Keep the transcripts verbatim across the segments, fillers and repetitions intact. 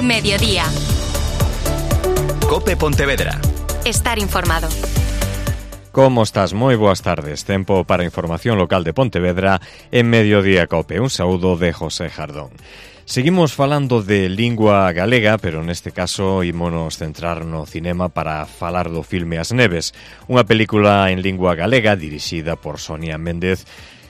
Mediodía. Cope Pontevedra. Estar informado. Como estás? Moi boas tardes. Tempo para a información local de Pontevedra en Mediodía Cope. Un saúdo de José Jardón. Seguimos falando de lingua galega, pero neste caso ímonos centrar no cinema para falar do filme As Neves, unha película en lingua galega dirixida por Sonia Méndez,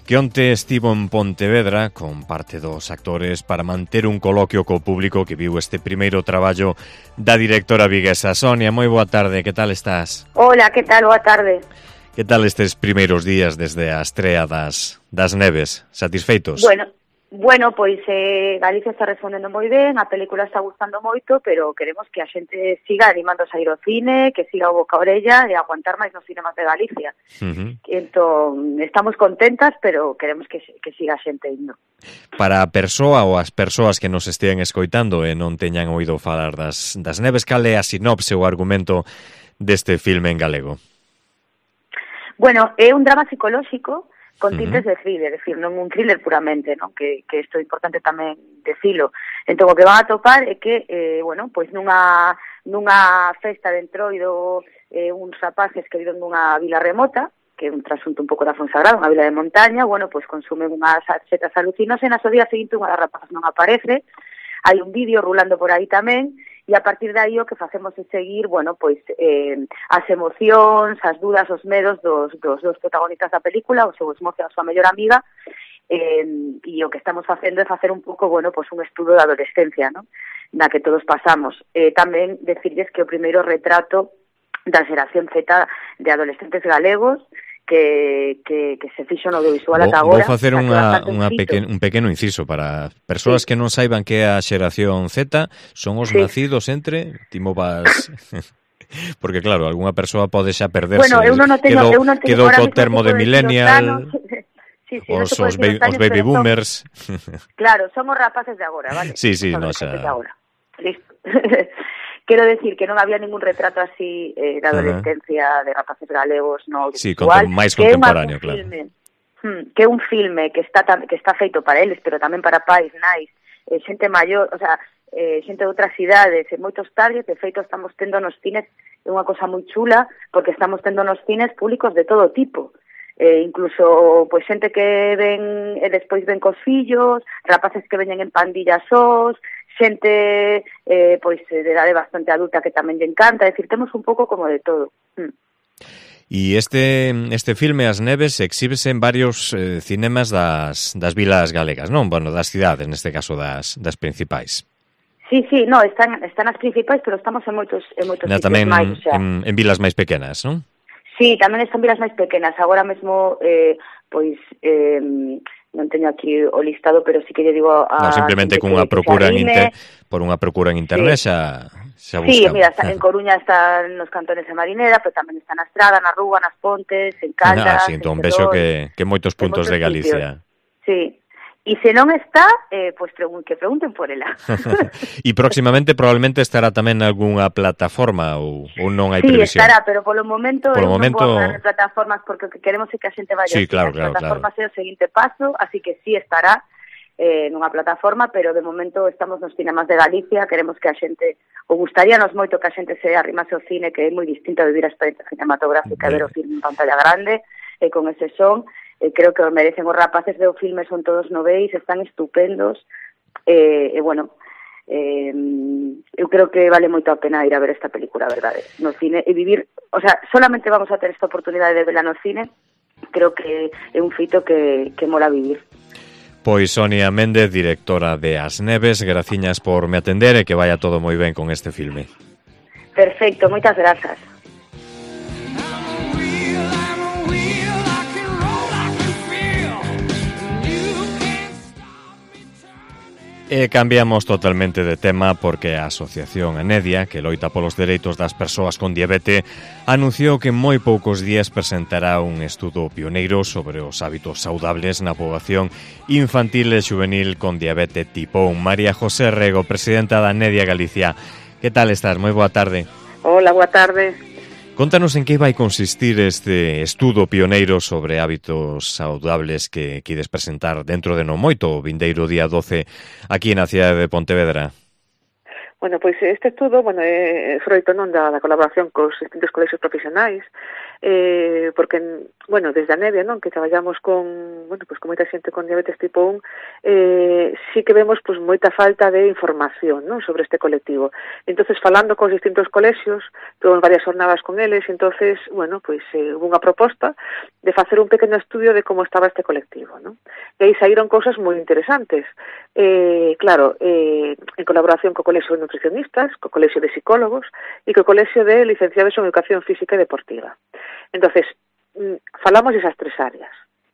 que onte estivo en Pontevedra con parte dos actores para manter un coloquio co público que viu este primeiro traballo da directora viguesa. Sonia, moi boa tarde, que tal estás? Hola, que tal? Boa tarde. Que tal estes primeiros días desde a estrea das, das Neves? Satisfeitos? Bueno, bueno, pois eh, Galicia está respondendo moi ben, a película está gustando moito, pero queremos que a xente siga animando a sair ao cine, que siga o boca a orella e aguantar máis nos cinemas de Galicia. Uh-huh. Entón, estamos contentas, pero queremos que, que siga a xente indo. Para a persoa ou as persoas que nos estean escoitando e non teñan oído falar das, das Neves, cal é a sinopse ou argumento deste filme en galego? Bueno, é un drama psicolóxico con tintes uh-huh. de thriller, é dicir, non un thriller puramente, non? Que, que isto é importante tamén decilo. Entón, o que van a topar é que, eh, bueno, pois nunha, nunha festa de entroido, eh, uns rapaces que viven nunha vila remota, que é un trasunto un pouco da Fonsagrada, unha vila de montaña, bueno, pois consumen unhas setas alucinóxenas, o día seguinte unha das rapazas non aparece, hai un vídeo rulando por aí tamén, e a partir de aí o que facemos é seguir, bueno, pois eh, as emocións, as dudas, os medos dos, dos, dos protagonistas da película, o seu esmozo e a súa mellor amiga, eh, e o que estamos facendo é facer un pouco, bueno, pois un estudo da adolescencia, ¿no? Na que todos pasamos. Eh, tamén decirles que o primeiro retrato da xeración Z de adolescentes galegos que, que, que se fixo no audiovisual ata agora. Vou facer unha, unha pequen, un pequeno inciso para persoas sí. que non saiban que é a xeración Z, son os sí. nacidos entre, timo vas... Porque claro, algunha persoa pode xa perderse. Bueno, eu non o teño, quedou, eu non teño quedou co termo de millennial, sí, sí, os, no os, ba os baby boomers. Son, claro, son os rapaces de agora, vale? Sí, sí, son no, xa... Listo. Quero decir que non había ningún retrato así eh, de adolescencia, uh-huh. de rapaces galegos no audiovisual. Sí, contem máis contemporáneo, claro. Filme, hmm, que é un filme que está que está feito para eles, pero tamén para pais, nais, eh, xente maior, o sea, eh, xente de outras cidades, e moitos targets, de feito estamos tendo nos cines, é unha cosa moi chula, porque estamos tendo nos cines públicos de todo tipo. Eh, incluso pois xente que ven e despois ven cos fillos, rapaces que veñen en pandillas sós, xente eh, pois de idade bastante adulta que tamén lle encanta, é dicir, temos un pouco como de todo. Mm. E este este filme As Neves exhíbese en varios eh, cinemas das, das vilas galegas, non? Bueno, das cidades, neste caso das, das principais. Sí, sí, no, están están as principais, pero estamos en moitos en moitos Na, sitios tamén máis, o sea. en, en vilas máis pequenas, non? Sí, tamén están vilas máis pequenas. Agora mesmo, eh, pois, eh, non teño aquí o listado, pero sí que lle digo a... No, simplemente cunha procura en inter... por unha procura en internet sí. xa, xa buscamos. Sí, mira, está, en Coruña están nos cantones de Marinera, pero tamén está na Estrada, na Rúa, nas Pontes, en Caldas... Ah, sí, entón vexo que, que moitos puntos de Galicia. Sitios. Sí. E se non está, eh, pois pregun que pregunten por ela. E próximamente probablemente estará tamén algunha plataforma ou, ou non hai sí, previsión? Sí, estará, pero polo momento polo non momento... vou falar de plataformas porque o que queremos é que a xente vaya sí, claro, as claro, plataformas claro. é o seguinte paso, así que sí estará eh, nunha plataforma, pero de momento estamos nos cinemas de Galicia, queremos que a xente, ou gustaríanos moito que a xente se arrimase ao cine, que é moi distinto a vivir a experiencia cinematográfica, ver o filme en pantalla grande, e con ese son. Eh, creo que o merecen os rapaces do filme, son todos noveis, están estupendos, e, eh, eh, bueno, eh, eu creo que vale moito a pena ir a ver esta película, verdade, no cine, e vivir, o sea, solamente vamos a ter esta oportunidade de verla no cine, creo que é un fito que, que mola vivir. Pois Sonia Méndez, directora de As Neves, graciñas por me atender e que vaya todo moi ben con este filme. Perfecto, moitas grazas. E cambiamos totalmente de tema porque a Asociación Anedia, que loita polos dereitos das persoas con diabetes, anunciou que en moi poucos días presentará un estudo pioneiro sobre os hábitos saudables na poboación infantil e juvenil con diabetes tipo un. María José Rego, presidenta da Anedia Galicia. Que tal estás? Moi boa tarde. Hola, boa tarde. Contanos en que vai consistir este estudo pioneiro sobre hábitos saudables que quides presentar dentro de non moito, o vindeiro día doce, aquí na cidade de Pontevedra. Bueno, pois este estudo, bueno, é froito non da, da colaboración cos distintos colexios profesionais, eh, porque, bueno, desde a Nevia, non, que traballamos con, bueno, pois con moita xente con diabetes tipo un, eh, sí que vemos, pois, moita falta de información, non, sobre este colectivo. Entonces, falando cos distintos colexios, tuvemos varias jornadas con eles, entonces, bueno, pois, eh, hubo unha proposta de facer un pequeno estudio de como estaba este colectivo, non? E aí saíron cousas moi interesantes. Eh, claro, eh, en colaboración co Colexio de Nutricionistas, co Colexio de Psicólogos e co Colexio de Licenciados en Educación Física e Deportiva. Entonces, falamos desas tres áreas.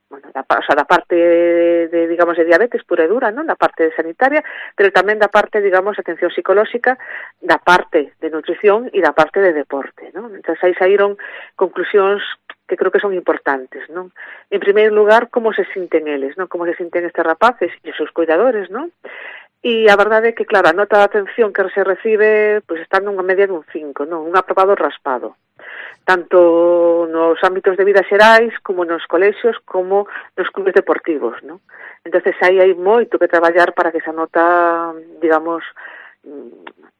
Bueno, da, o sea, da parte de, de, digamos, de diabetes pura e dura, non? Da parte sanitaria, pero tamén da parte, digamos, de atención psicolóxica, da parte de nutrición e da parte de deporte, non? Entón, aí saíron conclusións que creo que son importantes, non? En primeiro lugar, como se sinten eles, non? Como se sinten estes rapaces e os seus cuidadores, non? E a verdade é que, claro, a nota de atención que se recibe, pois, está nunha media dun cinco, non? Un aprobado raspado. Tanto nos ámbitos de vida xerais, como nos colexios, como nos clubes deportivos, non? Entonces, aí hai moito que traballar para que esa nota, digamos,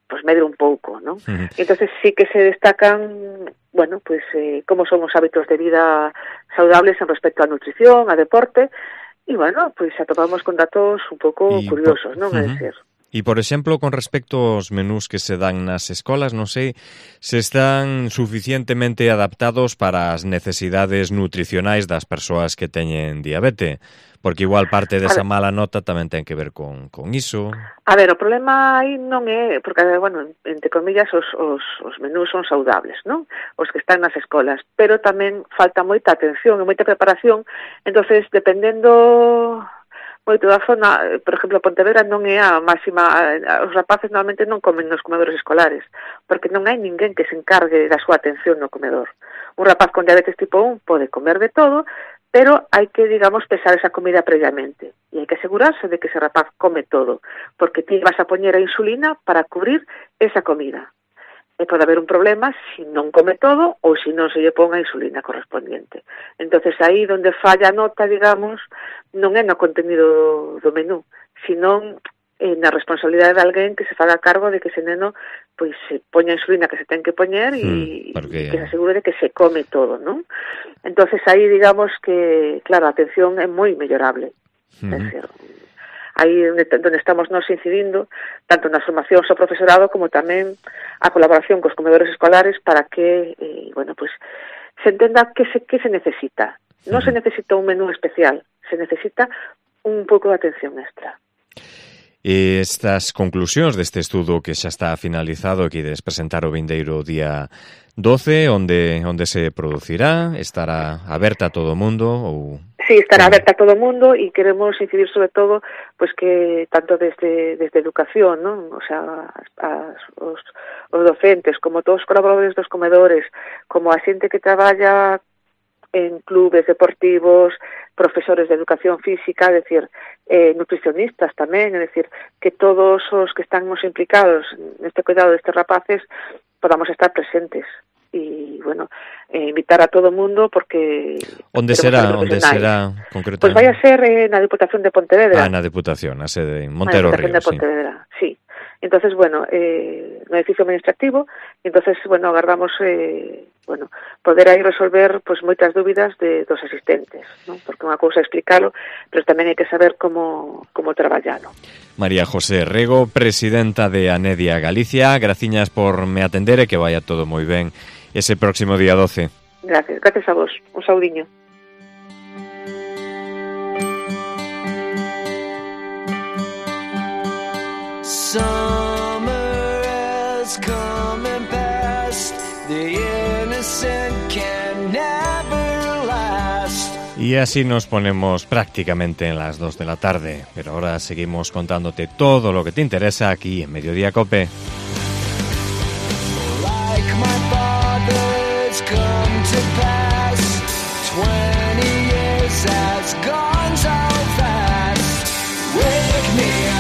pues medre un pouco, non? Uh-huh. Entonces, sí que se destacan, bueno, pues, eh, como son os hábitos de vida saludables en respecto á nutrición, a deporte. E, bueno, pois atopamos con datos un pouco y curiosos, non? Uh-huh. É dicir. E, por exemplo, con respecto aos menús que se dan nas escolas, non sei se están suficientemente adaptados para as necesidades nutricionais das persoas que teñen diabete, porque igual parte desa mala nota tamén ten que ver con, con iso. A ver, o problema aí non é, porque, bueno, entre comillas, os, os, os menús son saudables, non? Os que están nas escolas, pero tamén falta moita atención e moita preparación, entonces, dependendo moito da zona, por exemplo, Pontevedra non é a máxima, os rapaces normalmente non comen nos comedores escolares, porque non hai ninguén que se encargue da súa atención no comedor. Un rapaz con diabetes tipo un pode comer de todo, pero hai que, digamos, pesar esa comida previamente. E hai que asegurarse de que ese rapaz come todo, porque ti vas a poñer a insulina para cubrir esa comida. E pode haber un problema se non come todo ou se non se lle pon a insulina correspondiente. Entonces, aí onde falla a nota, digamos, non é no contenido do menú, sino eh, na responsabilidade de alguén que se faga cargo de que ese neno pois se poña a insulina que se ten que poñer e mm, porque... que se asegure de que se come todo, non? Entonces, aí, digamos que, claro, a atención é moi mellorable. Mm. É decir, aí onde, onde estamos nos incidindo, tanto na formación ao profesorado como tamén a colaboración cos comedores escolares para que, eh, bueno, pues, se entenda que se, que se necesita. Non se necesita un menú especial, se necesita un pouco de atención extra. E estas conclusións deste estudo que xa está finalizado e que ides presentar o vindeiro día doce, onde onde se producirá, estará aberta a todo o mundo ou... Sí, estará aberta a todo o mundo e queremos incidir sobre todo pues que tanto desde desde educación, ¿no? O sea, as, os, os docentes, como todos os colaboradores dos comedores, como a xente que traballa en clubes deportivos, profesores de educación física, es decir, eh, nutricionistas tamén, é dicir, que todos os que estamos implicados neste cuidado destes rapaces podamos estar presentes e, bueno, eh, invitar a todo o mundo porque... Onde será? Onde será concretamente? Pois pues vai a ser eh, na Diputación de Pontevedra. Ah, na Diputación, a sede en Montero Río, de Pontevedra, sí. sí. Entonces, bueno, eh, no edificio administrativo, entonces, bueno, agardamos, eh, bueno, poder aí resolver, pues, moitas dúbidas de dos asistentes, ¿no? Porque unha cousa é explicalo, pero tamén hai que saber como, como traballalo. María José Rego, presidenta de Anedia Galicia, graciñas por me atender e que vaya todo moi ben ese próximo día doce. Gracias, gracias a vos. Un saudiño. Summer has come and passed. The innocent can never last. Y así nos ponemos prácticamente en las dos de la tarde, pero ahora seguimos contándote todo lo que te interesa aquí en Mediodía Cope. Like my father's come to pass, twenty years has gone so fast. Wake me up.